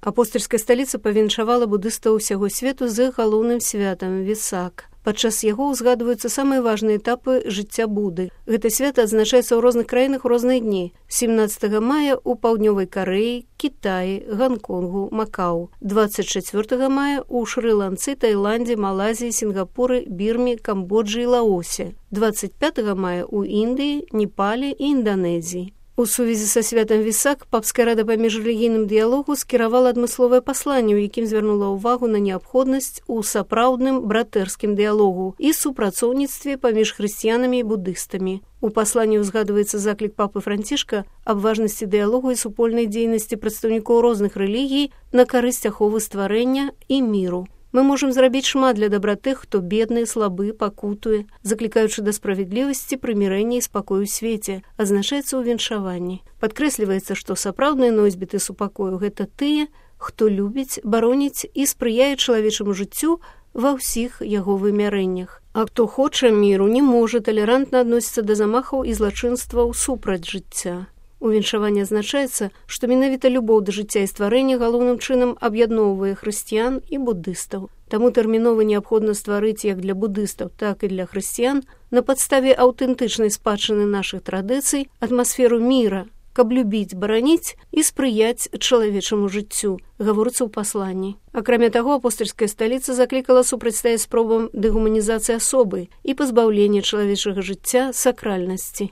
Апостальская сталіца павіншавала будыстаў усяго свету з іх галоўным святам Весак. Падчас яго ўзгадваюцца самыя важныя этапы жыцця Буды. Гэта свята адзначаецца ў розных краінах у розныя дні. 17 мая ў паўднёвай Карэі, Кітаі, Ганконгу, Макау. 24 мая ў Шры-Ланцы, Таіландзе, Малайзіі, Сінгапуры, Бірме, Камбоджы і Лаосе. 25 мая ў Індыі, Непале і Інданезіі. У сувязі са святам Весак папская рада па міжрэлігійным дыялогу скіравала адмысловае пасланне, у якім звярнула ўвагу на неабходнасць у сапраўдным братэрскім дыялогу і супрацоўніцтве паміж хрысціянамі і будыстамі. У пасланні ўзгадваецца заклік папы Францішка аб важнасці дыялогу і супольнай дзейнасці прадстаўнікоў розных рэлігій на карысць аховы стварэння і міру. Мы можам зрабіць шмат для дабраты, хто бедны, слабы, пакутуе, заклікаючы да справядлівасці, прымірэння і спакою ў свеце, азначаецца ў віншаванні. Падкрэсліваецца, што сапраўдныя носьбіты супакою – гэта тыя, хто любіць, бароніць і спрыяе чалавечаму жыццю ва ўсіх яго вымярэннях. А хто хоча міру, не можа талерантна адносіцца да замахаў і злачынстваў супраць жыцця. У віншаванні азначаецца, што менавіта любоў да жыцця і стварэння галоўным чынам аб'ядноўвае хрысціян і будыстаў. Таму тэрмінова неабходна стварыць як для будыстаў, так і для хрысціян на падставе аўтэнтычнай спадчыны нашых традыцый атмасферу міра, каб любіць, бараніць і спрыяць чалавечаму жыццю, гаворыцца ў пасланні. Акрамя таго, апостальская сталіца заклікала супрацьстаяць спробам дэгуманізацыі асобы і пазбаўлення чалавечага жыцця сакральнасці.